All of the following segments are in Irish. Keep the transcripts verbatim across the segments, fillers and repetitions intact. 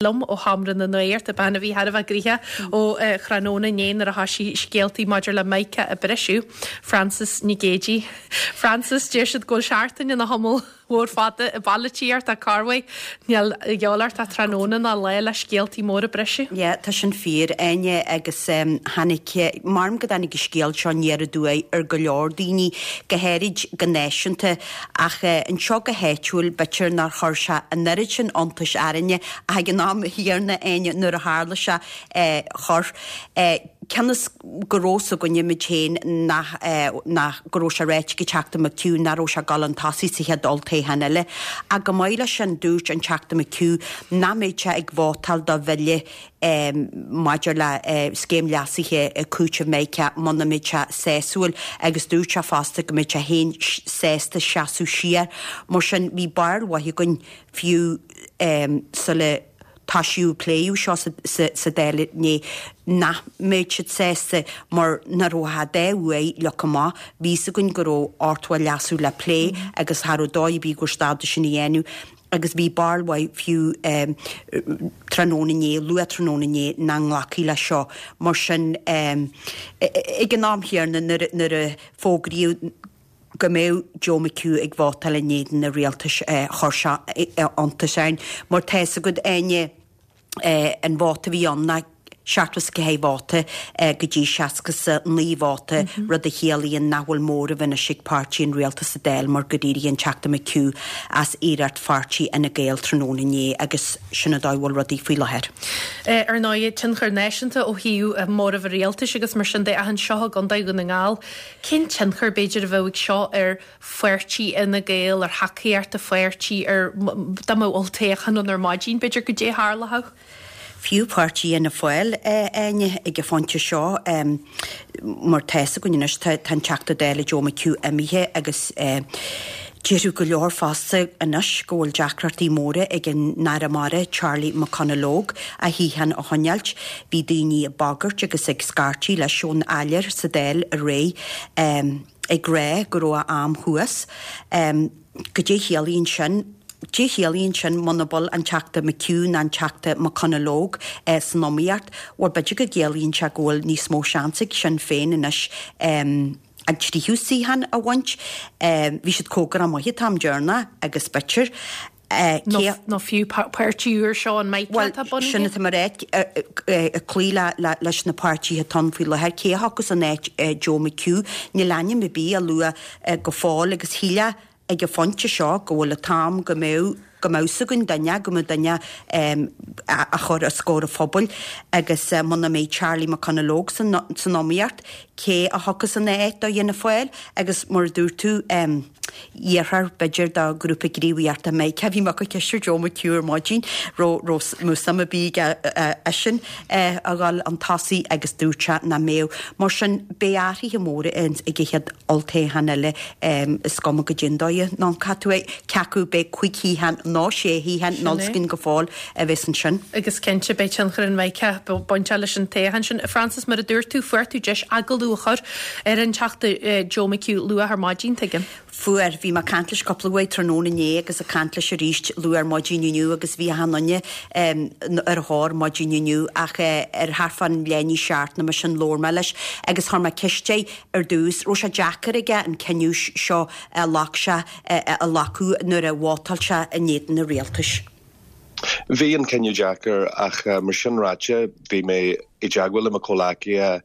Liom ó Sheomra na Nuachta, bean a bhí thar a bheith gnoitheach ó thráthnóna inné nuair a thoisigh scéaltaí maidir le Micah ag briseadh, Frances Nic Géadaigh. Frances, deir siad go bhfuil seachtain ina tamall mór fada i bpolaitíocht ach corruair níl a dhíobháil ort ach tráthnóna ná lá le scéaltaí móra a briseadh. Yeah, tá sin fíor, Áine, agus tháinig, measaim go dtáinig an scéal seo aniar aduaidh ar go leor daoine, go háirid go náisiúnta, ach anseo go háitiúil b'fhéidir nár chuir sé an oiread sin iontais orainne ach ag an am chéanna, Áine, nuair a tharla sé, chuir. Cionn is go raibh fhios againne muid féin nach nach go raibh sé ráite ag an Teachta McHugh nach raibh sé ag dul chun tosaigh sa chéad olltoghchán eile. Ach chomh maith leis sin dúirt an Teachta McHugh nach mbeadh sé ag vótáil do bhille maidir le scéim leasaithe cúitimh Micah muna mbeadh sé sásúil agus dúirt sé fosta go mbeadh sé féin sásta seasamh siar. Mar sin bhí barúil mhaith againn fiú sula toisíodh pléadh seo sa Dáil inné nach mbeadh siad sásta mar nach raibh ach an dá uair leagtha amach. Bhí fhios againn go raibh ochtó leasú le plé agus cha raibh dóigh ar bith go raibh siad ábalta sin a dhéanamh agus bhí barúil mhaith fiú tráthnóna inné, luath tráthnóna inné, nach nglacfaí leis seo. Mar sin, ag an am chéanna nuair a fógraíodh go mbeadh Joe McHugh ag vótáil in éadan an rialtais, chuir sé iontas orainn. Mar tá fhios agat, Áine, an vóta a bhí ann ná seachtó is a ceathair vóta go dtí seasca is a naoi vóta, rud a chiallaíonn nach bhfuil móramh anois ag páirtí an rialtais sa Dáil mar gur éirigh an Teachta McHugh as iarracht pháirtí Fhine Gael tráthnóna inné agus sin an dóigh a bhfuil rudaí faoi láthair. Ar ndóigh, tionchar náisiúnta ó thaobh móramh an rialtais agus mar sin de ach anseo i gContae Dhún na nGall, cén tionchar b'fhéidir a bheadh ag seo ar pháirtí Fhine Gael, ar thacaíocht an pháirtí, ar dá mbeadh olltoghchán ann ar maidin, b'fhéidir, goidé a tharlódh? Fiú páirtí Fhianna Fáil, Áine, ag an phointe seo, mar tá fhios againn anois, tá an Teachta Dála Joe McHugh imithe agus déarfadh go leor fosta anois go bhfuil deacrachtaí móra ag an Aire Mara, Charlie McConalogue, a shuíochán a choinneáilt. Bhí daoine ag bagairt agus ag scairtigh leis ón áiléar sa Dáil aréir ag rá go raibh a am thuas. Goidé a chiallaíonn sin? Goidé a chiallaíonn sin muna bhfuil an Teachta McHugh ná an Teachta McConalogue san iomaíocht? Bhuel, b'fhéidir go gciallaíonn sé go bhfuil níos mó seans ag Sinn Féin anois an tríú suíochán a bhaint. Bhí siad cóngarach maith an t-am deireanach agus b'fhéidir cé. Nó fiú páirtí úr seo an Micah atá bunaithe. Bhuel, sin atá mé a rá, ag cloí leis na páirtithe atá ann faoi láthair, cé a thiocfas in áit Joe McHugh? Níl ainm ar bith á lua go fóill agus shílfeá ag an phointe seo go bhfuil an t-am go mbeadh, go mbeadh 's againn duine, go mbeadh duine á chur os comhair an phobail agus muna mbeidh Charlie McConalogue san iomaíocht, cé a thiocfas ina áit do Fhianna Fáil agus mar a dúirt tú, iarrthar b'fhéidir do Ghrúpa Gníomhaíochta Micah, bhí mé ag cur ceist ar Joe McHugh ar maidin, raibh raibh suim ar bith aige eisean a dhul chun tosaigh agus dúirt sé nach mbeadh. Mar sin beidh athruithe móra ag an chéad olltoghchán eile, is cuma goidé an dóigh a n-amharcann tú air, cé acu beidh cúig shuíochán nó sé shuíochán, níl 's againn go fóill a bheas ansin. Agus cinnte beidh tionchar an Micah bainteach leis an toghchán sin. Frances, mar a dúirt tú, fuair tú deis agallamh a chur ar an Teachta Joe McHugh luath ar maidin, tuigim. Fuair. Bhí mé ag caint leis cúpla uair tráthnóna inné agus ag caint leis arís luath ar maidin inniu agus bhí achan duine ar a thóir maidin inniu ach ar thart fán leath i ndiaidh a seacht nó mar sin labhair mé leis agus chuir mé ceist air ar dtús raibh sé deacair aige an cinneadh seo a ghlac sé a ghlacadh nuair a vótáil sé in éadan an rialtais. Bhí an cinneadh deacair ach mar sin ráite bhí mé i dteagmháil le mo chomhghleacaithe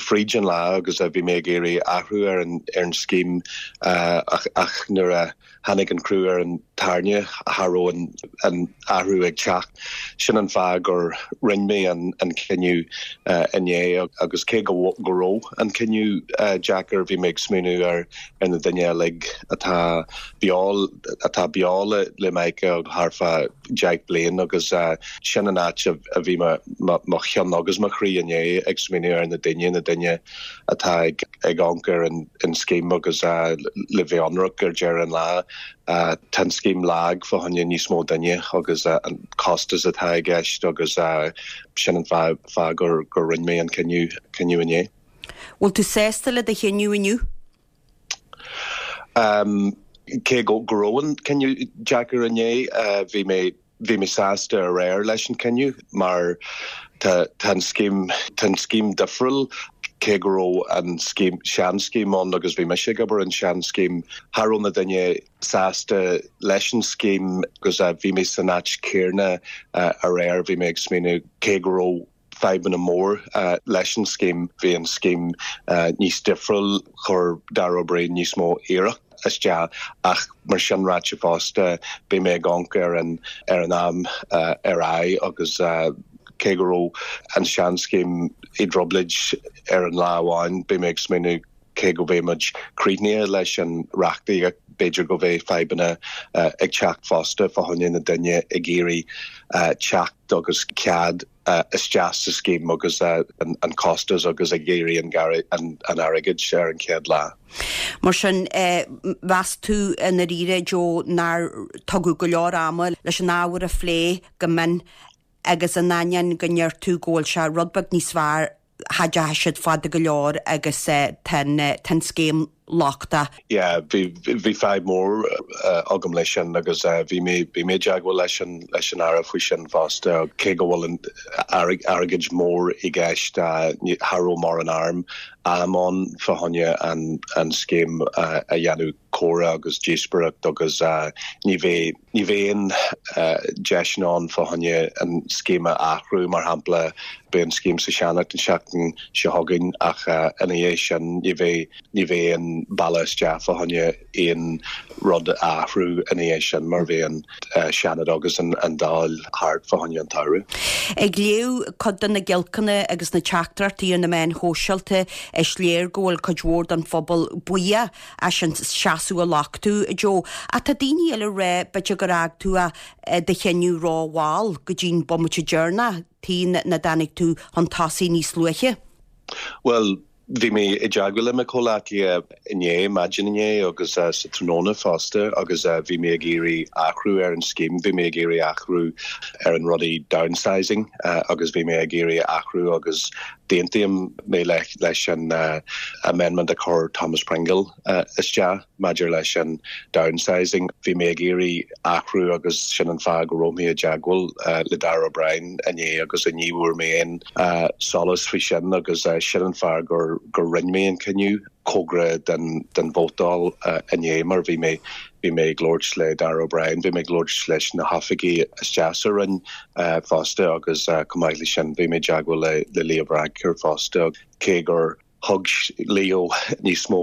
fríd an lá agus bhí mé ag iarraidh athrú ar an ar an scéim ach ach nuair a tháinig an crú ar an tairne cha raibh an an athrú ag teacht. Sin an fáth gur rinne mé an an cinneadh inné agus cé go go raibh an cinneadh deacair bhí mé ag smaoineamh ar ar na daoine uilig atá beo atá beo le le Micah thart fá deich bliain agus sin an áit a bhí mo cheann agus mo chroí inné ag smaoineamh ar na daoine, na daoine atá ag amharc ar an scéim agus le bheith ionraic ar deireadh an lá tá an scéim lag fá choinne níos mó duine agus an costas atá i gceist agus sin an fáth gur rinne mé an cinneadh inné. Bhfuil tú sásta le do chinneadh inniu? Cé go raibh an cinneadh deacair inné, bhí mé Bhí mé sásta aréir leis an cinneadh mar tá tá an scéim tá an scéim difriúil cé go raibh an scéim seanscéim ann agus bhí mise ag obair an seanscéim cha raibh na daoine sásta leis an scéim agus bhí mé san áit céanna aréir bhí mé ag smaoineamh cé go raibh fadhbanna mór leis an scéim bhí an scéim níos difriúil chuir Darragh O'Brien níos mó iarracht isteach ach mar sin ráite fosta bhí mé ag amharc ar an ar an am ar aghaidh agus cé go raibh an seanscéim i dtrioblóid ar an lá amháin bhí mé ag smaoineamh cé go mbeidh muid críochnaithe leis an reachtaíocht b'fhéidir go mbeidh fadhbanna ag teacht fosta fá choinne na daoine ag iarraidh teacht agus cead isteach sa scéim agus an costas agus ag iarraidh an an airgead ar an chéad lá. Mar sin mheas tú i ndáiríre Joe nár tugadh go leor ama leis an ábhar a phlé go mion agus in ainneoin go ndeir tú go bhfuil sé rud beag níos fearr cha dteachaigh siad fada go leor agus tá an scéim lochtach. Yeah, bhí bhí fadhb mór agam leis sin agus bhí mé bhí mé i dteagmháil leis an leis an Aire faoi sin fosta cé go bhfuil an airgead mór i gceist cha raibh mórán am am ann fá choinne an an scéim a dhéanamh comhrá agus díospóireacht agus ní bheidh ní bheidh aon deis ann fá choinne an scéim a athrú mar shampla beidh an scéim sa Seanad an seachtain seo chugainn ach ina dhiaidh sin ní bheidh ní bheidh an bealach isteach fá choinne aon rud a athrú ina dhiaidh sin mar bheidh an Seanad agus an an Dáil thart fá choinne an tsamhraidh. Ag léamh cuid de na giolcanna agus na teachtaireachtaí ar na meáin shóisialta is léir go bhfuil cuid mhór den phobal buíoch as an seasamh a ghlac tú Joe. Ach tá daoine eile ag rá b'fhéidir gur fhág tú do chinneadh rómhall go dtí'n bomaite deireanach tí na dtáinig tú chun tosaigh níos luaithe. Well, bhí mé i dteagmháil le mo chomhghleacaithe inné maidin inné agus sa tráthnóna fosta agus bhí mé ag iarraidh athrú ar an scéim, bhí mé ag iarraidh athrú ar an rudaí downsizing agus bhí mé ag iarraidh athrú agus d'aontaigh mé leis an amendment a chuir Thomas Pringle isteach maidir leis an downsizing. Bhí mé ag iarraidh athrú agus sin an fáth go raibh mé i dteagmháil le Darragh O'Brien inné agus ní bhfuair mé aon solas faoi sin agus sin an fáth gur gur rinne mé an cinneadh cóngarach den den vótáil inné mar bhí mé bhí mé ag labhairt le Darragh O'Brien, bhí mé ag labhairt leis na hoifigigh isteach sa Roinn fosta agus chomh maith leis sin bhí mé i dteagmháil le le Leo Varadkar fosta cé gur thug Leo níos mó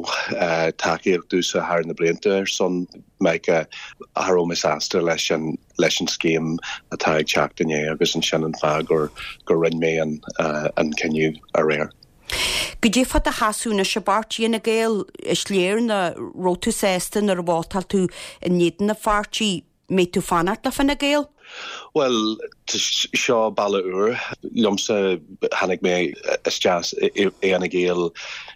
tacaíocht domhsa thar na blianta ar son Micah cha raibh mé sásta leis an leis an scéim atá ag teacht inné agus ansin an fáth gur gur rinne mé an an cinneadh aréir. Goidé fá do sheasamh anois i bpáirtí Fhine Gael is léir nach raibh tú sásta nuair a vótáil tú in éadan an pháirtí mbeidh tú fanacht le Fine Gael? Well seo bealach úr liomsa tháinig mé isteach i Fhine Gael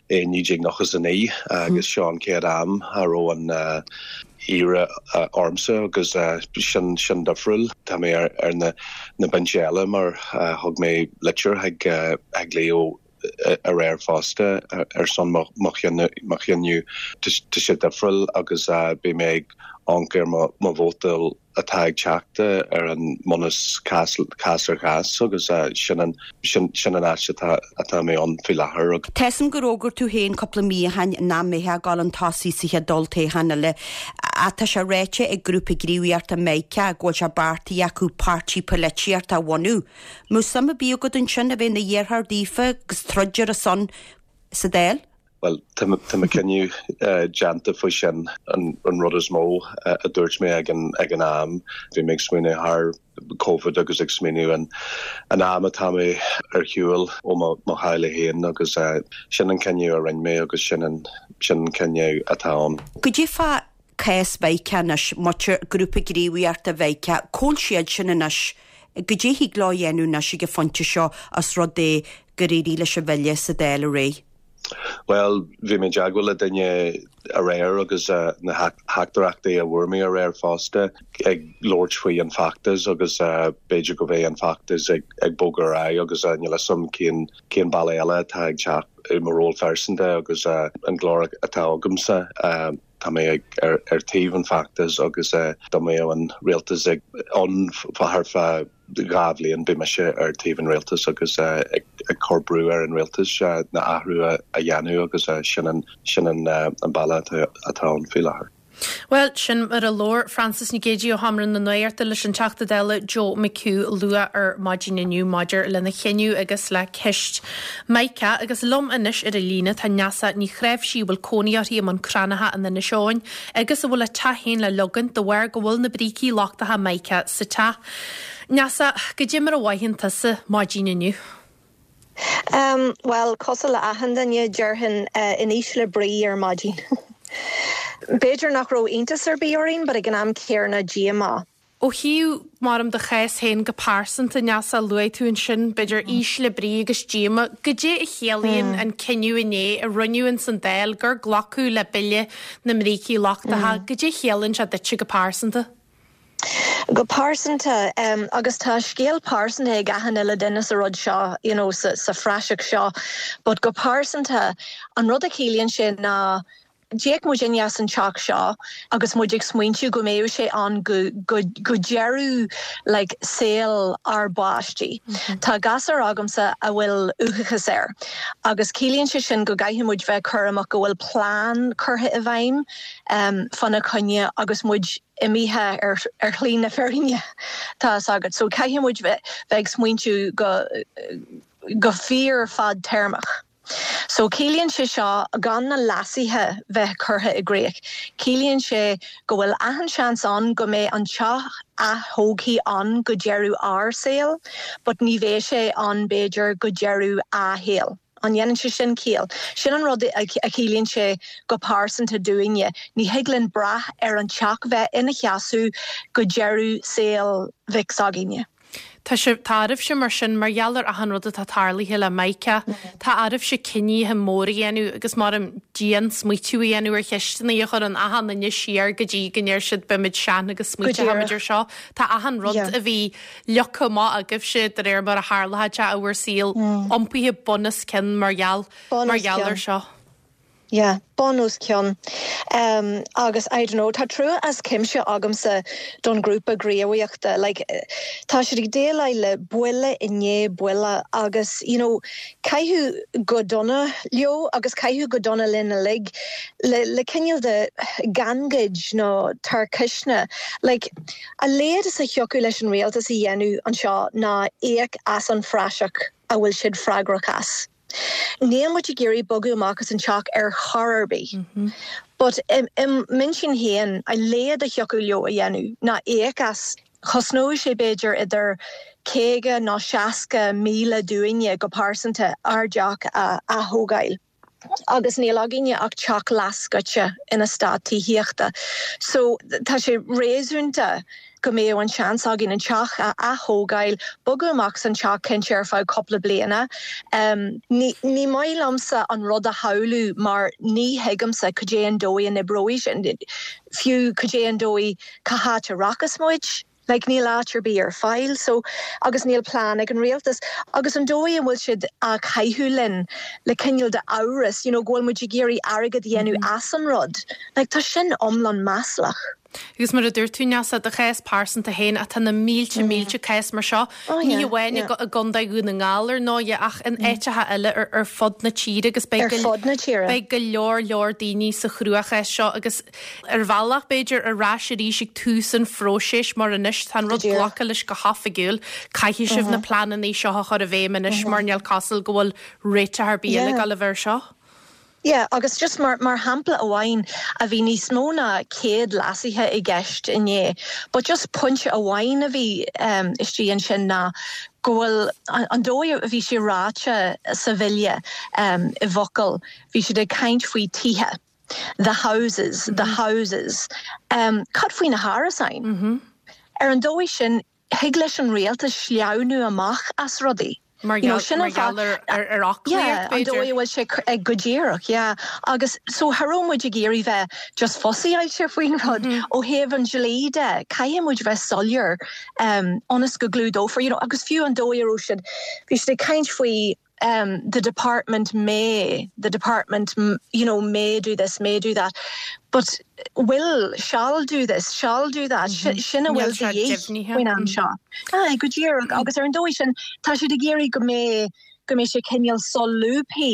i naoi déag nócha a naoi agus seo an chéad am a raibh an iarraidh ormsa agus sin sin difriúil Tá mé ar ar na na binse eile mar thug mé litir chuig chuig Leo aréir fosta ar son mo chinneadh tá sé difriúil agus beidh mé ag amharc ar mo vótáil atá ag teacht ar an mbunús cás cás ar chás agus sin an sin sin an áit atá atá mé ann faoi láthair. Tá a fhios agam gur fhógair tú féin cúpla mí ó shin nach mbeifeá ag dul chun tosaigh sa chéad olltoghchán eile. Tá sé ráite ag grúpa gníomhaíochta Micah go bhfuil sé beartaithe acu páirtí polaitíochta a bhunú. Mbeadh suim ar bith agat ansin a bheith ina iarrthóir daofa agus troid ar a son sa Dáil? Well tá mo chinneadh déanta faoi sin an an rud is mó a dúirt mé ag an ag an am bhí mé ag smaoineamh thar COVID agus ag smaoineamh an an am atá mé ar shiúl ó mo theaghlach féin agus sin an cinneadh a rinne mé agus sin an sin an cinneadh atá ann. Goidé fá cás Mhicah anois muintir grúpa gníomhaíochta Mhicah, cá bhfuil siad sin anois, goidé thig leo a dhéanamh anois ag an phointe seo as rud é gur éirigh leis an bhille sa Dáil aréir. Well bhí mé i dteagmháil le duine aréir agus uh, na teachtaireachtaí a bhfuair mé aréir fosta ag labhairt faoi an feachtas agus uh, b'fhéidir go mbeidh an feachtas ag, ag bogadh ar aghaidh agus uh, níl a fhios agam cén cén bealach eile atá ag teacht i mo ról phearsanta agus uh, an glór atá agamsa uh, tá mé ag ar, ar taobh an feachtas agus uh, dá mbeadh an rialtas ag an thar feadh dhá bhliain beidh mise ar taobh an rialtas agus uh, ag, ag cur brú ar an rialtas uh, na athrú a, a dhéanamh agus uh, sin an sin an, uh, an bealach atá atá ann faoi láthair. Well sin mar a labhair Frances Nic Géadaigh ó Sheomra na Nuachta leis an Teachta Dála Joe McHugh luath ar maidin inniu maidir lena chinneadh agus le ceist Mica agus liom anois ar an líne tá Neasa Ní Chnáimhsí bhfuil cónaí uirthi i mBun Cranncha in Inis Eoghain agus a bhfuil a teach féin le leagan de bharr go bhfuil na brící lochtacha Mica sa teach. Neasa goidé mar a mhothaíonn tusa maidin inniu. Um, well cosúil le achan duine déarfainn uh, in ísle brí ar maidin. B'fhéidir nach raibh iontas ar bith orainn, but ag an am céanna díomá. Ó thaobh mar do chás féin go pearsanta Neasa luaigh tú ansin b'fhéidir ísle brí agus díomá, goidé a chiallaíonn an cinneadh inné a rinneadh san Dáil gur glacadh le bille na mbrící lochtacha, goidé a chiallaíonn sé duitse go pearsanta. Go pearsanta um, agus tá scéal pearsanta ag achan uile duine sa rud seo you know, sa, sa phraiseach seo, but go pearsanta an rud a chiallaíonn sé ná D'íoc muid as an teach seo agus muid ag smaointiú go mbeadh sé ann go, go, go deireadh like, saol ár bpáistí. Mm -hmm. Tá gasúr agamsa a bhfuil uathachas air. Agus ciallaíonn sé sin go gcaithfidh muid bheith cúramach go bhfuil plean curtha i bhfeidhm um, fána choinne agus muid imithe ar, ar shlí na fírinne tá agad. So caithfidh muid bheith ag smaointiú go, go fíor fadtéarmach. So ciallaíonn sé seo gan na leasuithe bheith curtha i gcrích. Ciallaíonn sé go bhfuil achan seans ann go mbeidh an teach atógtha ann go deireadh ár saol, but ní bheidh sé ann b'fhéidir go deireadh a shaol. An ndéanann sé sin ciall. Sin an rud a chiallaíonn sé go pearsanta dúinne, ní thig linn brath ar an teach bheith ina sheasamh go deireadh saol mhic s'againne. Tá sé tá oraibhse mar sin mar gheall ar achan rud atá tarlaithe le Mica, Tá oraibhse cinntí móra a dhéanamh agus mar an dian-smaoitiú a dhéanamh ar cheisteanna a chur an achan duine siar go dtí go ndeir siad beimid sean agus smaointeoimid ar seo. Tá achan rud a bhí leagtha amach agaibhse de réir mar a tharlaíonn sé i bhur saol iompaithe bun os cionn mar gheall mar gheall ar seo. Yeah, bun os cionn. Um, agus I don't know, tá trua as cuimse agamsa don grúpa gníomhaíochta. Like, tá siad ag déileáil le buille i ndiaidh buille agus you know, caitheadh go dona leo agus caitheadh go dona linn uilig le, le cineál de gangaid nó tarcaisne. Like, a laghad is a thiocfadh leis an rialtas a dhéanamh anseo ná íoc as an phraiseach a bhfuil siad freagrach as. Níl muid ag iarraidh bogadh amach as an teach ar chor ar bith. Mm -hmm. But im m'intinn féin a laghad a thiocfadh leo a dhéanamh ná íoc as chosnódh sé b'fhéidir idir caoga nó seasca míle dúinne go pearsanta ár dteach a atógáil. Agus níl againne ach teach leathscoite in eastát tithíochta. So tá sé réasúnta go mbeadh an seans againn an teach a atógáil, bogadh amach an teach cinnte ar feadh cúpla bliana. Um, ní, ní maith liomsa an rud a shamhlú mar ní thuigimse cad é an dóigh a n-oibreoidh sin. Fiú cad é an dóigh cá háit a rachas muid. Like níl áit ar bith ar fáil, so agus níl plean ag an rialtas agus an dóigh an bhfuil siad á caitheamh linn le cineál de amhras, you know, go bhfuil muid ag iarraidh airgead a dhéanamh mm -hmm. as an rud. Like tá sin iomlán maslach. Agus mar a dúirt tú Neasa do chás pearsanta féin atá na mílte mm. mílte cás mar seo ní amháin i gContae Dhún na nGall ar ndóigh ach in áiteacha eile ar, ar fud na tíre agus beidh beidh go leor leor daoine sa chruachás seo agus ar bhealach b'fhéidir ar ais arís ag tús an phróisis mar anois tá an rud glactha leis go hoifigiúil caithfidh sibh na pleananna seo a chur i bhfeidhm anois mar níl cosúil go bhfuil réiteach ar bith eile le bheith seo. Yeah, agus just mar mar shampla amháin a bhí níos mó ná céad leasuithe i gceist inné, but just pointe amháin a bhí um, istigh ansin ná go bhfuil an dóigh a bhí sé ráite sa bhille um, i bhfocail, bhí siad ag caint faoi tithe. The houses, mm -hmm. the houses. Um, cad faoi na hárasáin. Mm -hmm. Ar an dóigh sin thig leis an rialtas sleamhnú amach as rudaí. Mar ar ar an dóigh bhfuil sé ag go díreach, yeah. agus so cha raibh muid ag iarraidh bheith just fuzzy-áilte faoin rud mm -hmm. ó thaobh an dlí de caithfidh muid bheith soiléir um, ionas go gclúdófar you know, agus fiú an dóigh siad bhí siad ag caint faoi um, the department may the department you know may do this may do that but will shall do this shall do that mm -hmm. sin a bhfuil faoin am seo ah, go díreach agus ar an dóigh sin tá siad ag iarraidh go mbeidh go mbeidh sé cineál solúbtha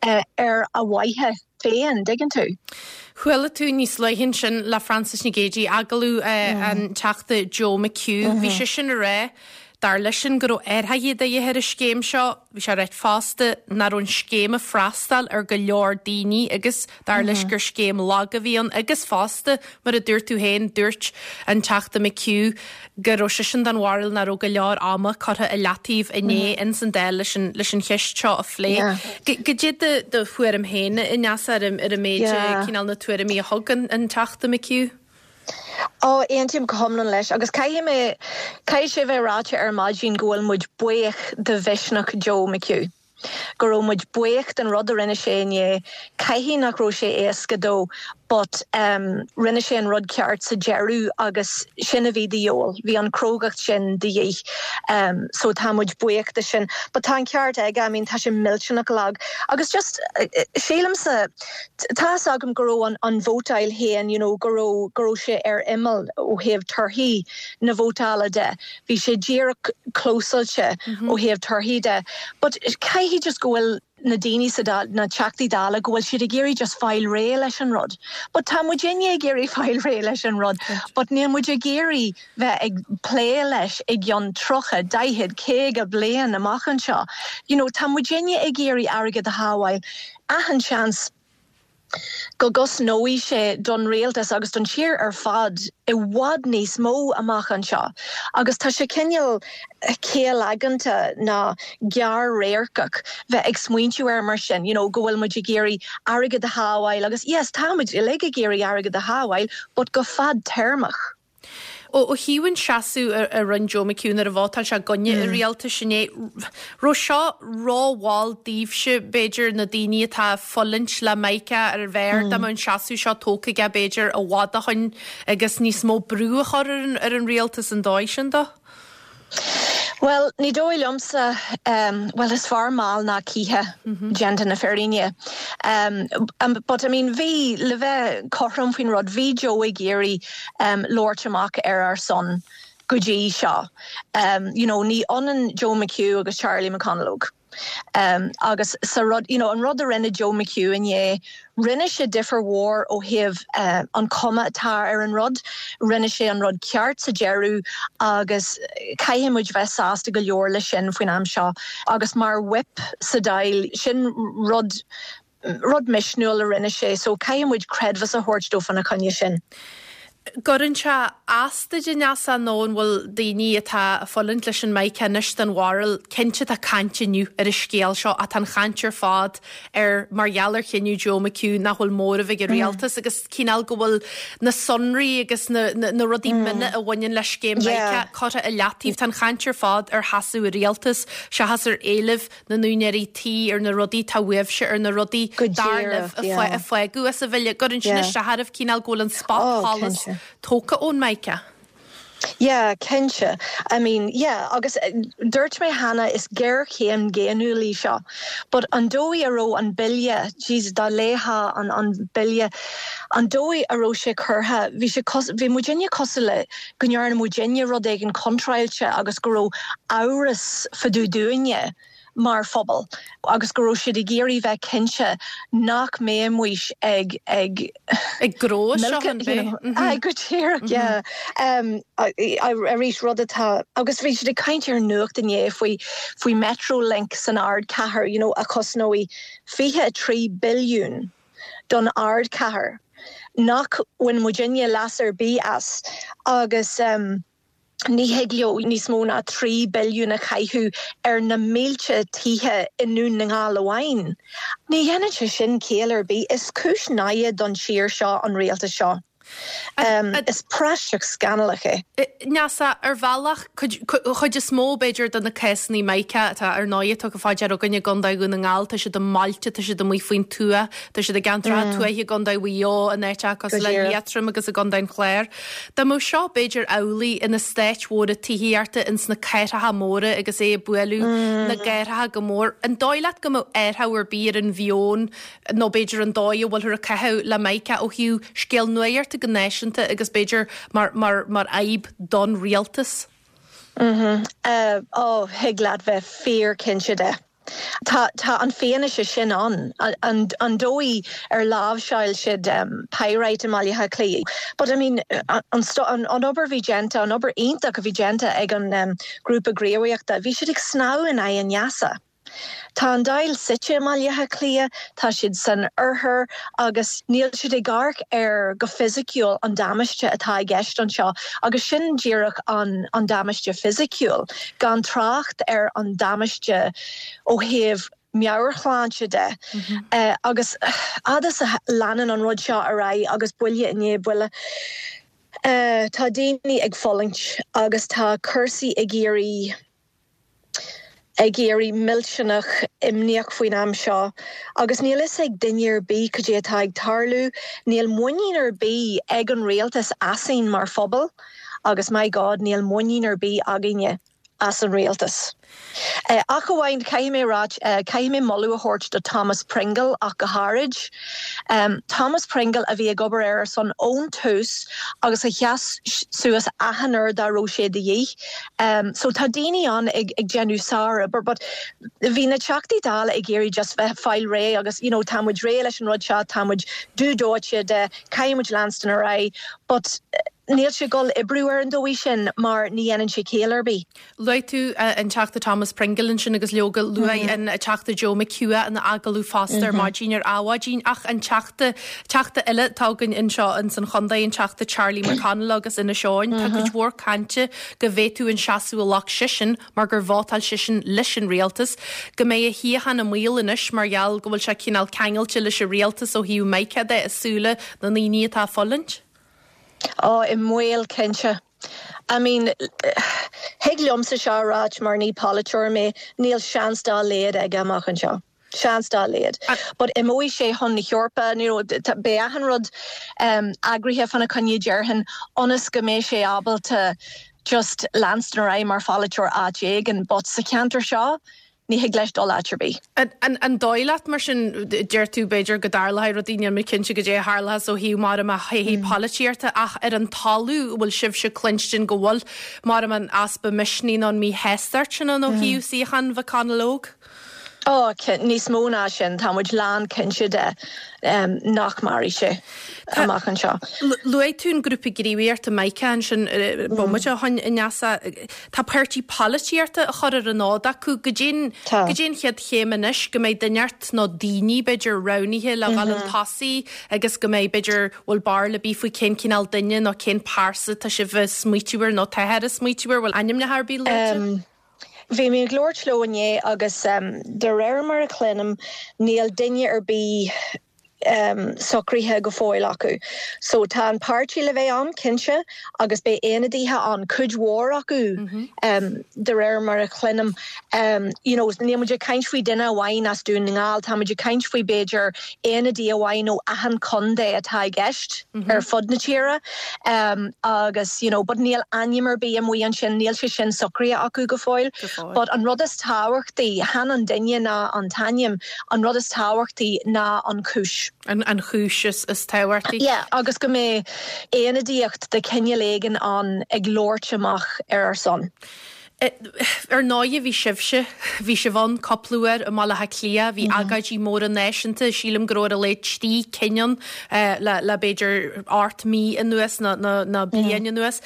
uh, ar a mhaithe féin dtuigeann tú. Chuala tú níos luaithe sin le Frances Nic Géadaigh agallamh uh, an Teachta Joe McHugh, bhí sé sin ag rá dar leisean go raibh athruithe de dhíth ar an scéim seo, bhí sé ag rá fosta nach raibh an scéim ag freastal ar go leor daoine agus dar leis gur scéim lag a bhí ann agus fosta mar a dúirt tú féin dúirt an Teachta McHugh go raibh seisean den bharúil nach raibh go leor ama curtha i leataobh inné ins an Dáil leis an leis an cheist seo a phlé. Cad é do thuairim féin Neasa ar ar an méid cineál na tuairimí a thug an Teachta McHugh? Ó aontaím go hiomlán leis agus caithfidh mé caithfidh sé bheith ráite ar maidin go bhfuil muid buíoch de mhisneach Joe McHugh. Go raibh muid buíoch den rud a rinne sé inné caithfidh nach raibh sé éasca dó, but um, rinne sé an rud ceart sa deireadh agus sin a bhí de dhíobháil, bhí an chrógacht sin de dhíth. Um, so tá muid buíoch de sin, but tá an ceart aige I mean, tá sé millteanach lag. Agus just uh, sílimse tá agam go raibh an, an vótáil féin you know, go raibh go raibh sé ar imeall ó thaobh torthaí na vótála de. Bhí sé díreach clósáilte mm -hmm. ó thaobh torthaí de. But caithfidh just go bhfuil na daoine sa na Teachtaí Dála go bhfuil siad ag iarraidh just fáil réidh leis an rud. But tá muidinne ag iarraidh fáil réidh leis an rud, but níl muid ag iarraidh bheith ag plé leis i gceann tríocha daichead caoga bliain amach anseo. You know, tá muidinne ag iarraidh airgead a shábháil achan seans go gcosnóidh sé don rialtas agus don tír ar fad i bhfad níos mó amach anseo. Agus tá sé cineál céalaigeanta ná gearr-radharcach bheith ag smaointiú air mar sin, you know, go bhfuil muid ag iarraidh airgead a shábháil agus yes, tá muid uilig ag iarraidh airgead a shábháil, but go fadtéarmach. Ó ó thaobh an seasamh a rinne Joe McHugh nuair a vótáil sé i gcoinne an rialtais inné raibh seo rómhall daoibhse b'fhéidir na daoine atá ag fulaingt le Micah ar bheir dá mbeadh an seasamh seo tógtha aige b'fhéidir i bhfad ó shin agus níos mó brú a chur ar an, ar an rialtas an dóigh sin dó? Well, ní dóigh liomsa um, well is fearr mall ná ciche mm -hmm. déanta na fírinne. Um, um, but I mean bhí le bheith cothrom faoin rud bhí Joe ag iarraidh um, labhairt amach ar ár son go dtí seo. Um, you know, ní ionann Joe McHugh agus Charlie McConalogue. Um, agus sa rud you know, an rud a rinne Joe McHugh inné rinne sé difear mhór ó thaobh uh, an chuma atá ar an rud, rinne sé an rud ceart sa deireadh agus caithfidh muid bheith sásta go leor le sin faoin am seo agus mar whip sa Dáil sin rud rud misniúil a rinne sé, so caithfidh muid creidmheas a thabhairt dó fána choinne sin. Cuireann sé as duit a Neasa nó an bhfuil daoine atá ag fulaingt leis an Micah anois den bharúil cinnte tá caint inniu ar an scéal seo atá an chaint ar fad ar mar gheall ar chinneadh Joe McHugh nach bhfuil móramh ag an rialtas agus cineál go bhfuil na sonraí agus na, na, na rudaí mm. mine a bhaineann le scéim Micah curtha i leataobh tá an chaint ar fad ar sheasamh an rialtas seachas ar éilimh na n-úinéirí tí ar na rudaí tá uaibhse ar na rudaí dar libh a fágadh as a bhille cuireann sin isteach oraibh cineál go bhfuil an spotsolas tógtha ón Micah. Yeah, cinnte. I mean, yeah, agus dúirt mé cheana is géarchéim dhaonnúil í seo. But an dóigh a raibh an bille, Jesus dá léifeá an an bille, an dóigh a raibh sé curtha, bhí sé bhí muidinne cosúil le go ndearna muidinne rud éigin contráilte agus go raibh amhras fá dtaobh dúinne mar phobal agus go raibh siad ag iarraidh bheith cinnte nach mbeadh muid ag ag ag gró go díreach arís rud atá agus bhí siad ag caint ar nuacht inné faoi faoi Metrolink san ardchathair you know, a chosnóidh fiche a trí billiún don ardchathair nach bhfuil muidinne leas ar bith as agus um, ní thig leo níos mó ná trí billiún a chaitheamh ar na mílte tithe i nDún na nGall amháin. Ní dhéanann sé sin ciall ar bith is cúis náire don tír seo an rialtas seo. Is praiseach scannalach é. Neasa, ar bhealach, chuid is mó b'fhéidir de na cásanna Mica atá ar ndóigh tugtha fá deara againn i gContae Dhún na nGall, tá siad i mbailte, tá siad amuigh faoin tuath, tá siad i gceantracha tuaithe i gContae Mhaigh Eo, in áiteacha cosúil le Liatroim agus i gContae an Chláir. Dá mbeadh seo b'fhéidir amhlaidh ina stáit mhóra tithíochta ins na cathracha móra agus é ag bualadh na gcathracha go mór, an dóigh leat go mbeadh athrú ar bith ar an mheon nó b'fhéidir an dóigh a bhfuilthear ag caitheamh le Mica ó thaobh scéal nuachta go náisiúnta agus b'fhéidir mar mar mar fhadhb don rialtas? Mm-hmm. Uh, ó, thig leat bheith fíorchinnte de. Tá tá an fianaise sin ann an, an dóigh ar láimhseáil siad um, pyrite i mBaile Átha Cliath. But I mean an, an, an obair bhí déanta an obair iontach a bhí déanta ag an um, grúpa gníomhaíochta, bhí siad ag snámh in aghaidh an easa. Tá an Dáil suite i mBaile Átha Cliath, tá siad san oirthear agus níl siad ag amharc ar go fisiciúil an damáiste atá i gceist anseo agus sin díreach an, an damáiste fisiciúil, gan trácht ar an damáiste ó thaobh meabhairshláinte de. Mm -hmm. uh, agus fhad is a leanann an rud seo ar aghaidh agus buille i ndiaidh buille. Uh, tá daoine ag fulaingt agus tá cúrsaí ag éirí ag éirí millteanach imníoch faoin am seo, agus níl fhios ag duine ar bith cad é atá ag tarlú, níl muinín ar bith ag an rialtas asainn mar phobal, agus my God níl muinín ar bith againne as an rialtas. Uh, ach amháin caithfidh mé rá uh, caithfidh mé moladh a thabhairt do Thomas Pringle ach go háirid. Um, Thomas Pringle a bhí ag obair ar son ón tús agus a sheas suas achan uair dá raibh sé de dhíth. Um, so tá daoine ann ag, ag déanamh sár-obair, but bhí na Teachtaí Dála ag iarraidh just bheith fáil réidh agus you know, tá muid réidh leis an rud seo tá muid dú dóite de caithfidh muid leanstan ar aghaidh, but níl sé ag dul oibriú ar an dóigh sin mar ní dhéanann sé ciall ar bith. Luaigh tú uh, an Teachta Thomas Pringle ansin agus leoga luaigh mm -hmm. an Teachta Joe McHugh ina agallamh fosta ar mm -hmm. maidin ar Adhmhaidin ach an teachta teachta eile atá againn anseo in san chontae an Teachta Charlie McConalogue agus Inis Eoghain Tá cuid mhór cainte go bhféadfadh an seasamh a ghlac seisean mar gur vótáil seisean leis an rialtas, go mbeidh a shuíochán i mbaol anois mar gheall go bhfuil sé cineál ceangailte leis an rialtas ó thaobh Mica de i súile na ndaoine atá ag fulaingt? Ó i mbaol cinnte. I mean, thig liomsa seo a ráit mar ní polaiteoir mé, níl seans dá laghad aige amach anseo. Seans dá laghad. But imeoidh sé chun na hEorpa beidh achan rud um, eagraithe fána choinne déarfainn ionas go mbeidh sé ábalta just leanstan ar aghaidh mar pholaiteoir áit éigin, but sa cheantar seo, ní thig leis dul áit ar bith. An, an dóigh leat mar sin deir tú b'fhéidir go dtarlóidh rudaí níl mé cinnte goidé a tharlós ó thaobh mar a théí mm. polaitíochta ach ar an talamh bhfuil sibhse cluinstin go bhfuil mar an easpa misnigh nó an míshástacht sin an ó mm. thaobh suíochán McConalogue? Ó níos mó ná sin tá muid lán cinnte de um, nach mairfidh sé amach anseo. Luaigh tú an grúpa gníomhaíochta Mica ansin bomaite ó shin Neasa Tá páirtí polaitíochta a chur ar an fhód acu goidé goidé an chéad chéim anois go mbeidh duine nó daoine b'fhéidir roghnaithe le dhul chun tosaigh agus go mbeidh b'fhéidir bhfuil barúil ar bith faoi cén cineál duine nó cén pearsa tá sibh ag smaoitiú air nó táthar ag smaoitiú air bhfuil ainmneacha ar bith luaite? Um, Bhí mé ag labhairt leo inné agus um, de réir mar a chluinim níl duine ar bith um, socraithe go fóill acu. So tá an páirtí le bheith ann cinnte agus beidh ionadaithe an cuid mhór acu mm -hmm. um, de réir mar a chluinim. Um, you know, níl muid ag caint faoi duine amháin as Dún na nGall, tá muid ag caint faoi b'fhéidir ionadaí amháin ó achan chontae atá i gceist mm -hmm. ar fud na tíre. Um, agus you know, but níl ainm ar bith amuigh ansin níl sé sin socraithe acu go fóill, but an rud is tábhachtaí chan an duine ná an t-ainm an rud is tábhachtaí ná an chúis. An, an chúis is, is tábhachtaí. Yeah, agus go mbeidh ionadaíocht de chineál éigin an ag labhairt amach ar ar son. Ar ndóigh bhí sibhse, bhí sibh ann cúpla uair i mBaile Átha Cliath, bhí mm -hmm. agóidí móra náisiúnta, sílim go raibh ar a laghad trí cinn ann uh, le, le b'fhéidir ocht mí anuas nó, nó, nó bliain mm -hmm. anuas.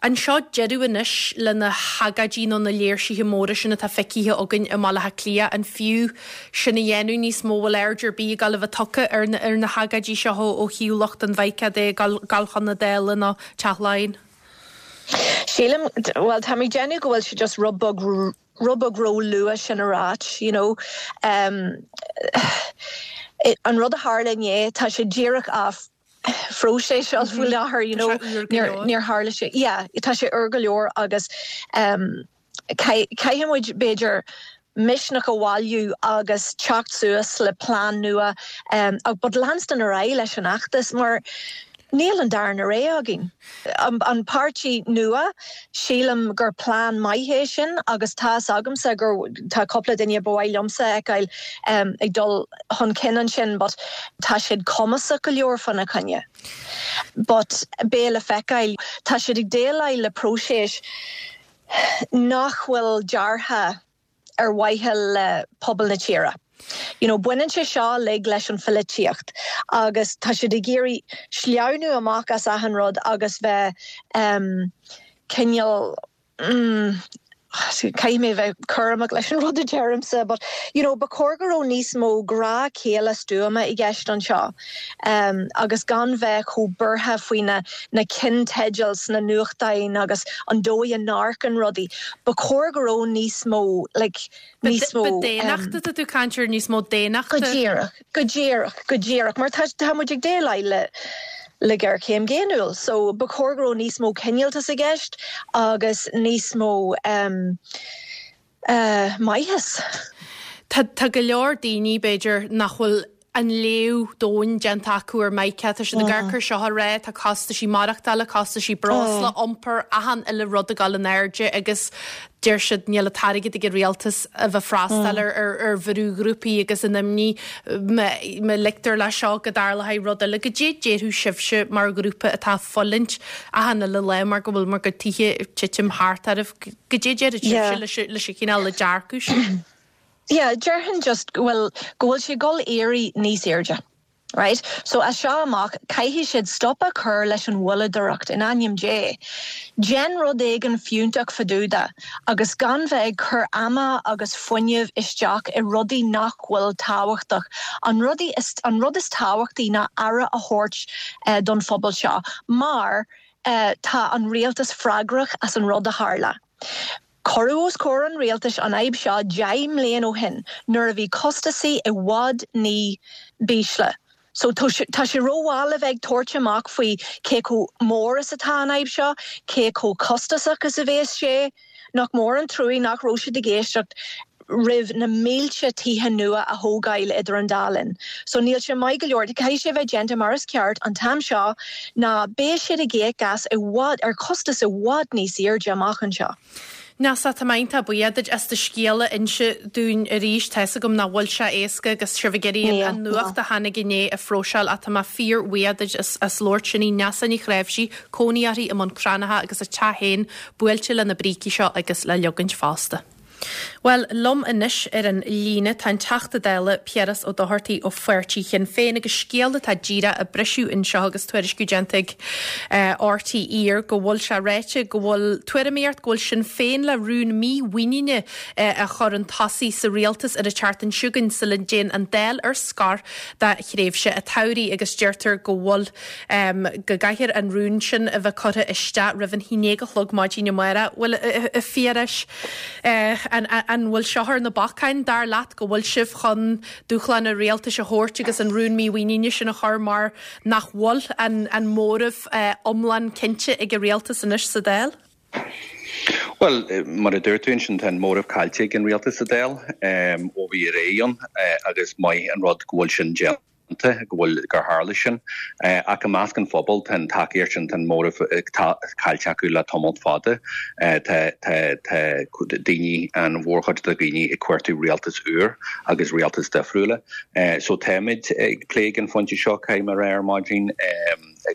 An seo deireadh anois le na hagóidí nó na léirsithe móra sin atá feicthe againn i mBaile Átha Cliath an fiú sin a dhéanamh níos mó bhfuil aird ar bith ag dul a bheith tugtha ar na, ar na hagóidí seo ó thaobh lucht an Mhica de dul chun na Dála nó Teach Laighean. Sílim well tá mé ag déanamh go bhfuil sé just rud beag rud beag ró-luath sin a ráit, you know. Um, an rud a tharla inné tá sé díreach á phróiseas seo faoi láthair, you know, níor tharla sé. Yeah, tá sé úr go leor agus um, caithfidh muid b'fhéidir misneach a bhailiú agus teacht suas le plean nua um, but leanstan ar aghaidh leis an fheachtas mar níl an darna rogha againn. An, an páirtí nua sílim gur plean maith é sin agus tá agamsa gur tá cúpla duine ba mhaith liomsa a fheiceáil um, ag dul chun cinn ansin, but tá siad cumasach go leor fána choinne. But beidh le feiceáil tá siad ag déileáil le próiseas nach bhfuil deartha ar mhaithe le pobal na tíre. You know, baineann sé seo uilig leis an pholaitíocht agus tá siad ag iarraidh sleamhnú amach as achan rud agus bheith um, cineál mm, Caithfidh mé bheith cúramach leis an rud a deirimse, but you know, ba chóir go raibh níos mó grá céile stuama i gceist anseo. Um, agus gan bheith chomh buartha faoi na, na ceannteidil sna nuachtáin agus an dóigh a n-amharcann rudaí. Ba chóir go raibh níos mó like, níos mó daonnachta um, tú caint ar níos mó daonnachta? Go díreach, go díreach, go díreach, mar tá tá muid ag déileáil le le géarchéim dhaonnúil, so ba chóir go raibh níos mó cineáltas i gceist agus níos mó um, uh, maitheas. Tá tá go leor daoine b'fhéidir nach bhfuil an léamh domhain déanta acu ar Micah, tá siad ag amharc air seo ag rá, tá costaisí maireachtála, costaisí breosla, iompar, achan uile rud ag dul in airde agus deir siad níl an t-airgead ag an rialtas a bheith freastal ar ar ar bhrúghrúpaí agus an imní má ligtear leis seo go dtarlóidh rud eile goidé déarfadh sibhse mar ghrúpa atá ag fulaingt achan uile lá mar go bhfuil bhur gcuid tithe ag titim thart oraibh goidé déarfadh sibhse leis leis an chineál le dearcadh sin. Yeah, déarfainn just go bhfuil go bhfuil sé ag dul éirí níos airde. Right? So as seo amach caithfidh siad stop a chur leis an mhoilleadóireacht in ainm Dé. Déan rud éigin fiúntach fadúda agus gan bheith ag cur ama agus fuinneamh isteach i rudaí nach bhfuil tábhachtach. An rudaí is, an rud is tábhachtaí ná aire a thabhairt uh, don phobal seo, mar uh, tá an rialtas freagrach as an rud a tharla. Cuireadh os comhair an rialtais an fhadhb seo deich mbliana ó shin nuair a bhí costasaí i bhfad ní b'ísle. So tá sé rómhall a bheith ag tabhairt amach faoi cé chomh mór is atá an fhadhb seo, cé chomh costasach is a bheas sé, nach mór an trua nach raibh siad ag éisteacht roimh na mílte tithe nua a thógáil idir an dá linn. So níl sé maith go leor caithfidh sé bheith déanta mar is ceart an t-am seo ná beidh siad ag íoc as i bhfad ar costas i bhfad níos airde amach anseo. Neasa tá mé iontach buíoch duit as do scéal a inse dúinn arís tá fhios agam nach bhfuil sé éasca agus sibh ag iarraidh an nuacht a tháinig inné a phróiseáil ach tá mé fíorbhuíoch duit as, as labhairt sin í Neasa Ní Chnáimhsí, cónaí uirthi i mBun Cranncha agus a teach féin buailte le na brící seo agus le leogaint fosta. Well, liom anois ar an líne tá an Teachta Dála Piaras Ó Dochartaigh ó Pháirtí Shinn Féin agus scéal atá díreach ag briseadh anseo agus tuairisciú déanta ag uh, RTÉ go bhfuil sé ráite go bhfuil tuairimíocht go bhfuil Sinn Féin le rún mímhuiníne uh, a chur chun tosaigh sa rialtas ar an tseachtain seo chugainn sula dtéann an Dáil ar scor do thréimhse an tsamhraidh agus deirtear go bhfuil um, go gcaithfear an rún sin a bheith curtha isteach roimh an haon déag a chlog maidin amárach. Bhfuil a Phiarais uh, an, an bhfuil seo ar na bacáin dar leat go bhfuil sibh chun dúshlán an rialtais a thabhairt agus an rún mímhuiníne sin a chur mar nach bhfuil an, an móramh uh, iomlán cinnte ag an rialtas anois sa Dáil? Well, mar a dúirt tú sin tá an móramh caillte ag an rialtas sa Dáil um, ó bhí ré ann uh, agus maith an rud go bhfuil sin déanta go bhfuil gur tharla sin ach i measc an phobal tá tacaíocht sin an móramh caillte acu le tamall fada tá daoine an mhórchuid de dhaoine ag cuartú rialtas úr agus rialtas difriúla. So táimid ag plé an phointe seo céim ar ar maidin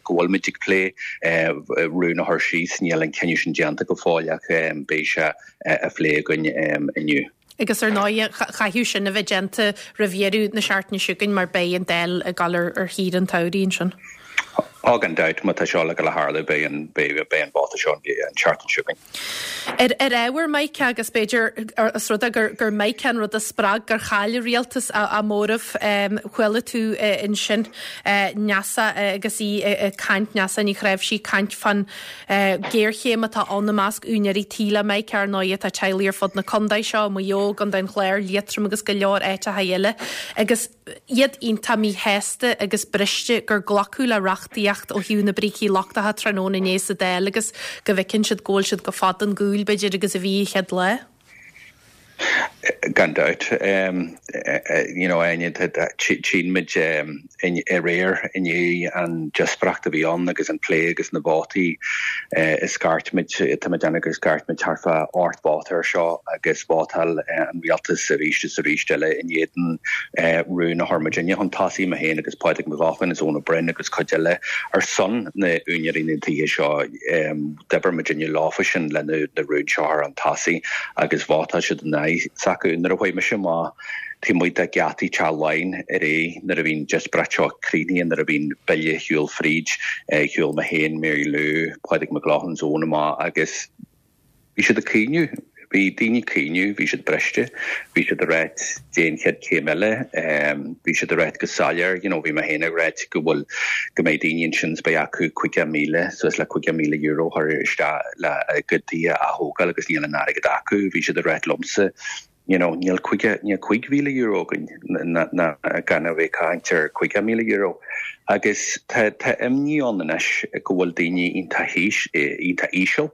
go bhfuilmid ag plé rún a chur síos níl an cinneadh sin déanta go fóill ach beidh sé á phlé againn inniu. Agus ar ndóigh caithfidh sin a bheith déanta roimh dheireadh na seachtaine seo chugainn mar beidh an Dáil ag dul ar ar shaoire an tsamhraidh ansin. Á gan dabht má tá seo le go le tharlú beidh an beidh beidh an vóta seo an tseachtain seo chugainn. Ar ar ábhar Micah agus b'fhéidir os rud é gur gur Micah an rud a spreag gur chaill an rialtas a móramh chuala tú ansin Neasa agus í ag caint Neasa Ní Chnáimhsí ag caint fán géarchéim atá ann i measc úinéirí tí le Micah ar ndóigh tá teaghlaigh ar fud na contae seo, Maigh Eo, Contae an Chláir, Liatroim agus go leor áiteacha eile agus iad iontach míshásta agus briste gur glacadh le reachtaíocht ó thaobh na brící lochtacha tráthnóna inné sa Dáil agus go bhfeiceann siad go bhfuil siad chomh fada ón gcúl b'fhéidir agus a bhí an chéad lá. Gan dabht you know tchíonn muid aréir inné an díospóireacht a bhí ann agus an plé agus na vótaí is scairt muid tá muid déanamh gur scairt muid thart fá ocht vóta ar seo agus vótáil an rialtas arís is arís eile in éadan rún a chuir muidinne chun tosaigh mé féin agus Pádraig Mac Lochlainn is Eoin Ó Broin agus cuid eile ar son na úinéirí na dtithe seo d'oibir muidinne leofa sin le na rúin seo ar an tosaigh agus vótáil siad in aghaidh s'acu. Nuair a chuaigh mise amach taobh amuigh de gheataí Teach Laighean aréir nuair a bhí an díospóireacht seo críochnaithe nuair a bhí an bille ag siúl fríd shiúil mé féin Mary Lou Pádraig Mac Lochlainn is Eoin amach agus bhí siad ag caoineadh bhí daoine ag caoineadh bhí siad briste bhí siad ag ráit cad é an chéad chéim eile bhí siad ag ráit go soiléir you know bhí mé féin ag ráit go bhfuil go mbeidh daoine ansin is beidh acu caoga míle suas le caoga míle euro a chur isteach le a gcuid tithe a thógáil agus níl an airgead acu bhí siad ag ráit liomsa you know níl caoga níl cúig mhíle euro againn ná gan a bheith ag caint ar caoga míle euro agus tá tá imní ann anois go bhfuil daoine iontach iontach íseal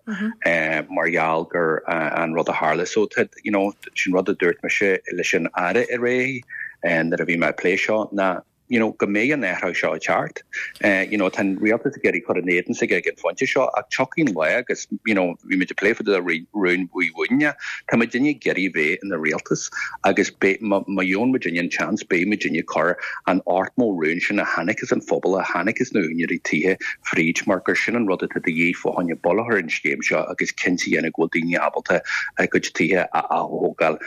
mar gheall gur an rud a tharla so tá you know sin rud a dúirt mise leis an Aire aréir nuair a bhí mé ag plé seo ná you know, go mbeidh an athrú seo ag teacht. Uh, you know, tá an rialtas ag iarraidh cur in éadan s'aige ag an phointe seo ach tiocfaidh an lá agus you know, bhí muid ag plé faoi rún Uí Mhaonaigh, Tá muidinne ag iarraidh bheith ina rialtas agus má gheobhann muidinne an chance beidh muidinne ag cur an ochtó rún sin a tháinig as an phobal a tháinig as na húinéirí tithe fríd mar gur sin an rud atá de dhíth fá choinne buille a chur ar an scéim seo agus cinnte a dhéanamh go bhfuil daoine ábalta a gcuid tithe a athógáil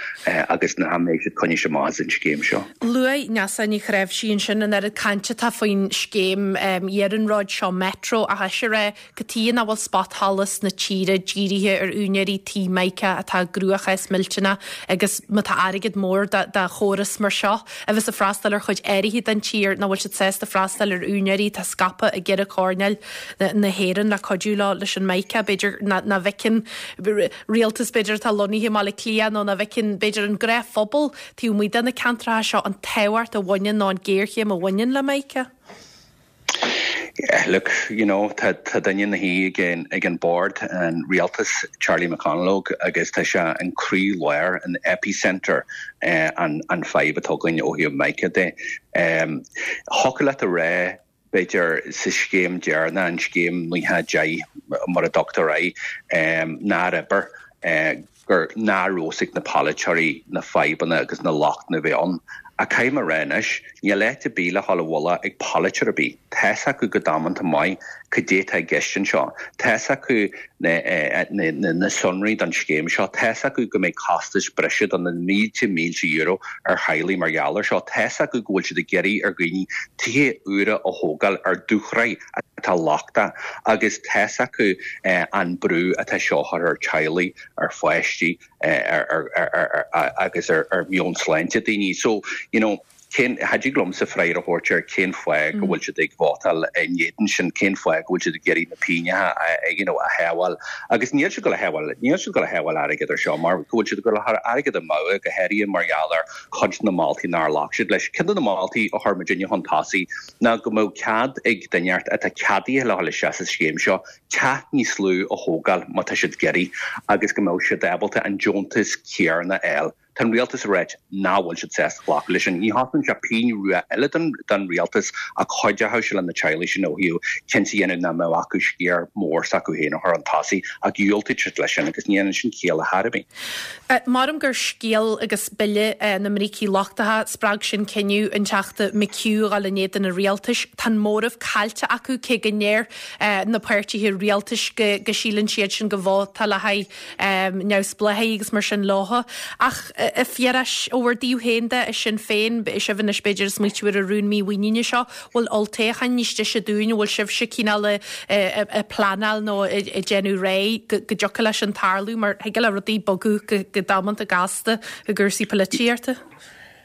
agus nach mbeidh siad coinnithe amach as an scéim seo. Luaigh Neasa Ní Chnáimhsí ansin an oiread cainte atá faoin scéim iarnróid seo Metro ach is é cad chuige nach bhfuil spotsholas na tíre dírithe ar úinéirí tí Micah atá i gcruachás millteanach agus má tá airgead mór do chóras mar seo a bheas ag freastal ar chuid áirithe den tír nach bhfuil siad sásta freastal ar úinéirí atá scaipthe i gceithre choirnéal na hÉireann le cuidiú leo leis an Micah b'fhéidir nach bhfeiceann rialtas b'fhéidir atá lonnaithe i mBaile Átha Cliath nó nach bhfeiceann b'fhéidir an gnáthphobal taobh amuigh de na ceantracha seo an tábhacht a bhaineann nó an géarchéim a bhaineann le Micah. Yeah, look, you know, tá tá duine ina shuí ag an ag an bord an rialtas Charlie McConalogue agus tá sé an croílár an epicenter eh, an an fadhb atá againn ó thaobh Micah de. Um, Thiocfadh leat a rá b'fhéidir sa scéim deireanach an scéim naocha deich mar a dtugtar air um, nár oibir eh, gur nár raibh a fhios ag na polaiteoirí na fadhbanna agus na lochtanna a bhí ann. Ach caithfidh mé a rá anois, níl áit ar bith le dhul i bhfolach ag polaiteoir ar bith. Tá's acu go damanta maith cad é atá i gceist anseo. Tá's acu na, na, na, na sonraí don scéim seo. Tá's acu go mbeidh costais breise do na mílte mílte euro ar theaghlaigh mar gheall air seo. Tá's acu go bhfuil siad ag iarraidh ar dhaoine tithe úra a thógáil ar dúshraith atá lochtach agus tá's acu eh, an brú atá seo a chur ar teaghlaigh, ar pháistí, ar, ar, ar, ar, agus ar, ar mheon sláinte daoine. So, you know, cén cha dtig liomsa freagra a thabhairt ar cén fáth go bhfuil siad ag vótáil in éadan sin, cén fáth go bhfuil siad ag iarraidh na pingine a, you know, a shábháil. Agus níl siad ag gabháil a shábháil, níl siad ag gabháil a shábháil airgead ar seo mar go bhfuil siad ag gabháil a chur airgead amú go háirithe mar gheall ar chuid na moltaí nár ghlac siad leis. Ceann de na moltaí a chuir muidinne chun tosaigh ná go mbeadh cead ag duine atá ceadaithe le dhul isteach sa scéim seo teach níos lú a thógáil má tá siad ag iarraidh agus go mbeadh siad ábalta an deontas céanna a fháil. Tá an rialtas ag ráit nach bhfuil siad sásta glacadh leis sin. Ní thosnaíonn sé pingin rua eile don don rialtas ach chuideochadh sé le na teaghlaigh sin ó thaobh cinnte a dhéanamh nach mbeadh acu sciar mór s'acu féin a chur chun tosaigh ach dhiúltaigh siad leis sin agus ní dhéanann sin ciall ar chor ar bith. Maram gur scéal agus bille na mbrící lochtacha spreag sin cinneadh an Teachta McHugh a dhul in éadan an rialtais. Tá an móramh caillte acu cé go ndeir na páirtithe rialtais go go síleann siad sin go vóta le haghaidh neamhspleáchaigh agus mar sin leo. Ach A Phiarais, ó bhur dtaobh féin de, i Sinn Féin, sibh anois b'fhéidir ag smaoitiú ar an rún mímhuiníne seo, bhfuil olltoghchán níos deise dúinn, bhfuil sibhse cineál ag pleanáil nó ag déanamh réidh go dtiocfadh leis sin tarlú mar thig le rudaí bogadh go damanta gasta i gcúrsaí polaitíochta?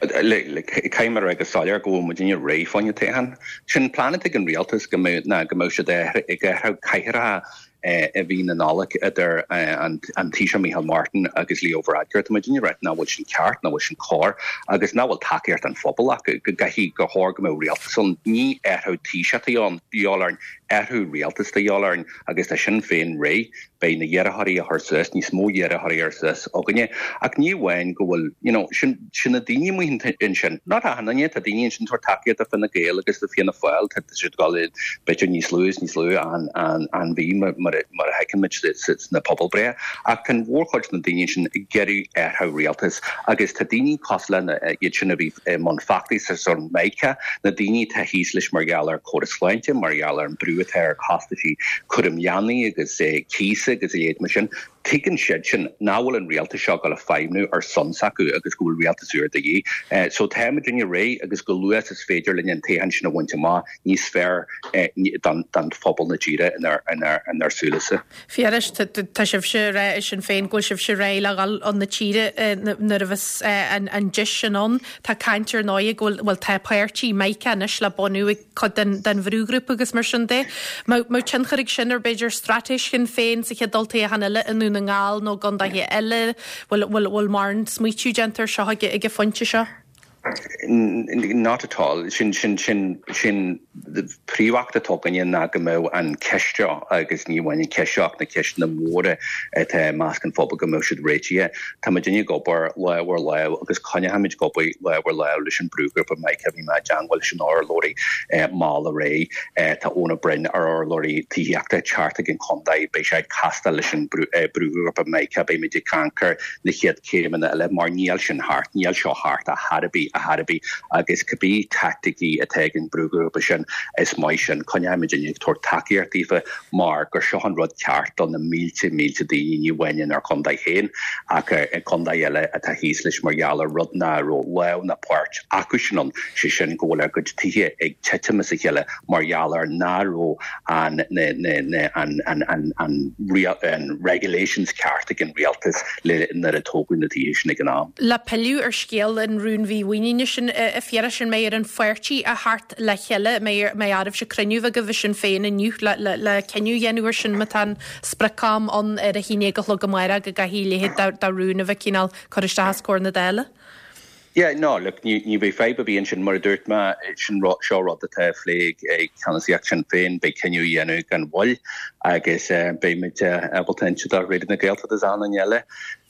Caithfidh mé a rá go soiléir go bhfuil muidinne réidh fá choinne toghchán. Sin plean atá ag an rialtas go mbeadh ná go mbeadh siad ag athrú cathaoireacha i mí na Nollag idir an Taoiseach Micheál Martin agus Leo Varadkar. Tá muidinne ag rá nach bhfuil sin ceart, nach bhfuil sin cóir agus nach bhfuil tacaíocht an phobail acu go gcaithfidh gur chóir go mbeadh rialtas ann. Ní athrú Taoiseach atá de dhíobháil orainn, athrú rialtais atá de dhíobháil orainn agus tá Sinn Féin réidh. Beidh na hiarrthóirí a chur suas, níos mó iarrthóirí a chur suas againne. Ach ní amháin go bhfuil, you know, sin, sin na daoine amuigh ansin. Not achan duine, tá daoine ansin tabhairt tacaíocht do Fine Gael agus do Fianna Fáil, tá siad ag dul b'fhéidir níos lú is níos lú an, an, an mhí mar, mar a fheiceann muid sna pobalbhreithe. Ach tá an mhórchuid de na daoine sin ag iarraidh athrú rialtais agus tá daoine cosúil le iad sin a bhí i mbun feachtais ar son Micah, na daoine atá thíos leis mar gheall ar córas sláinte, mar gheall ar an brú atá ar chostaisí cúram leanaí agus cíosa agus a leithéid mar sin. Tuigeann siad sin nach bhfuil an rialtas seo ag dul a feidhmiú ar son s'acu agus go bhfuil rialtas úr de dhíth. So tá muidinne réidh agus chomh luath is féidir linn an toghchán sin a bhaint amach níos fearr don phobal na tíre inár súilese. Phiarais, tá sibhse ag rá i Sinn Féin go bhfuil sibhse réidh le dhul chun na tíre nuair a bheas an deis sin ann. Tá caint ar ndóigh go bhfuil, bhuel tá páirtí Micah anois le bunú ag cuid den bhrúghrúpa agus mar sin de. Mbeadh tionchar ag sin ar b'fhéidir straitéis Shinn Féin sa chéad olltoghchán eile i nDún na nGall nó i gcontaetha eile? Bhfuil bhfuil mórán smaoitiú déanta ar seo ag an phointe seo? Not at all. Sin sin sin sin príomhfheachtas atá againne ná go mbeadh an ceist seo agus ní amháin an ceist seo ach na ceisteanna móra atá i measc an phobail go mbeadh siad réitithe. Tá muidinne ag obair lámh ar lámh agus coinneoimid ag obair lámh ar lámh leis an brúghrúpa Micah bhí mé i dteagmháil leis an urlabhraí mall aréir. Tá Eoin Ó Broin ar urlabhraí tithíochta thart ag an chontae beidh sé ag castáil leis an brúghrúpa Micah beimid ag caint ar na chéad chéimeanna eile mar níl sin thart, níl seo thart ar chor ar bith ar chor ar bith agus cibé taicticí atá ag an brúghrúpa sin is maith sin coinneoimid ag tabhairt tacaíocht daofa mar gur seo an rud ceart do na mílte mílte daoine ní amháin inár contae féin ach i contae eile atá thíos leis mar gheall ar rud nach raibh lámh ná páirt acu sin ann sé sin go bhfuil a gcuid tithe ag titim as a chéile mar gheall ar nach raibh an na na na an an an an an regulations ceart ag an rialtas le nuair a tógadh na tithe sin ag an am. Le pilleadh ar scéal an rún mhímhuiníne sin a Phiarais an mbeidh ar an pháirtí a theacht le chéile mbeidh oraibhse cruinniú agaibh i Sinn Féin inniu le le le cinneadh a dhéanamh ar sin má tá an sprioc-am ann ar a haon déag a chlog amárach go gcaithfidh a leithéid de rún a bheith cineál cur isteach os comhair na Dála. Yeah, no, look, ní ní bheidh fadhb ar bith ansin mar a dúirt mé sin seo rud atá á phlé ag ceannasaíocht Sinn Féin beidh cinneadh á dhéanamh gan mhoill agus beidh muid ábalta inse do Raidió na Gaeltachta is achan duine eile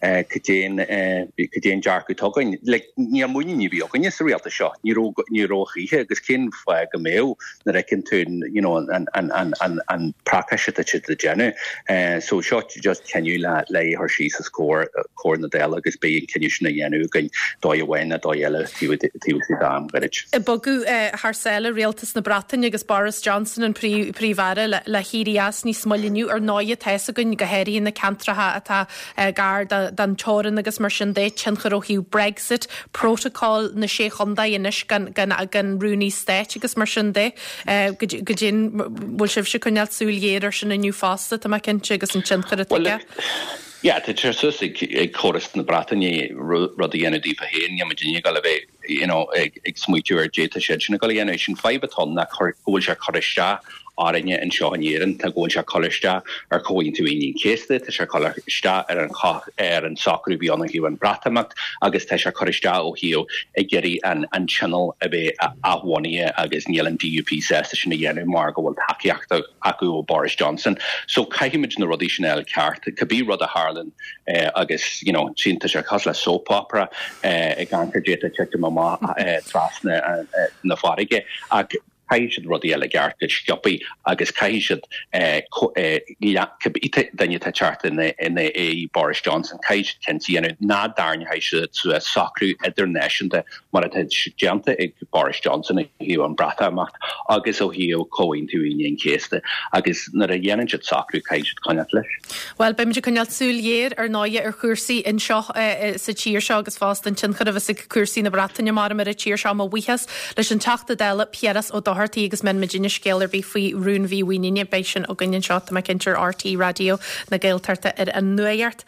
cad é an dearcadh atá againn. Like, níl muinín ar bith againne sa rialtas seo, ní raibh ní raibh choíche agus cén fáth go mbeadh nuair a fheiceann tú you know, an, an, an, an, an pracáis atá siad ag déanamh. So seo just cinneadh le le é a chur síos os comhair comhair na Dála agus beidh an cinneadh sin á dhéanamh againn dóigh amháin nó dóigh eile taobh istigh d'am gairid. Ag bogadh thar sáile rialtas na Breataine agus Boris Johnson an Príomh-Aire le le héirí as níos moille inniu ar ndóigh tá fhios againn go háirithe na ceantracha atá gar don teorainn agus mar sin de tionchar ó thaobh Brexit, protocol na sé chontae anois gan gan gan rúnaí stáit agus mar sin de go dtí bhfuil sibhse ag coinneáil súil ghéar ar sin inniu fosta tá mé cinnte agus an tionchar atá aige. Yeah, tá sé suas ag ag córas na Breataine rud a dhéanamh daofa féin, níl muid ag dul a bheith you know, ag, ag smaoitiú ar d'fhéadfadh siad sin a gul a dhéanamh. Sin fadhb atá ann ná go bhfuil sé ag cur isteach orainne anseo in Éirinn, tá go bhfuil sé ag cur isteach ar Chomhaontú Aoine an Chéasta, tá sé ag cur isteach ar an ar an socrú a bhí ann ó thaobh an Bhreatimeacht agus tá sé ag cur isteach ó thaobh ag iarraidh an, an tionól a bheith athbhunaithe agus níl an DUP sásta sin a dhéanamh mar go bhfuil tacaíocht acu ó Boris Johnson. So caithfimid na rudaí sin a fháil ceart, cibé rud a tharlaíonn eh, agus you know, sin tá sé cosúil le soap opera eh, ag amharc ar d'fhéadfadh titim amach eh, trasna eh, na farraige ach Caithfidh siad rudaí eile i gceart go sciobtha agus caithfidh siad cibé duine atá ag teacht i ndiaidh Boris Johnson, caithfidh siad cinnte a dhéanamh nach dtarraingeoidh siad suas socrú idirnáisiúnta mar atá déanta ag Boris Johnson ó thaobh an Bhreatimeacht agus ó thaobh Comhaontú Aoine an Chéasta agus nuair a dhéanann siad socrú caithfidh siad coinneáil leis. Bhuel, beimid ag coinneáil súil ghéar ar ndóigh ar chúrsaí anseo sa tír seo agus fosta an tionchar a bheas ag cúrsaí na Breataine mar ar an tír seo. Mo bhuíochas leis an Teachta Dála Piaras Ó Dochartaigh agus muna muidinne scéal ar bith faoi rúnmhímhuiníne beidh sin againn anseo tá mé cinnte ar RTÉ Raidió na Gaeltachta ar an Nuacht.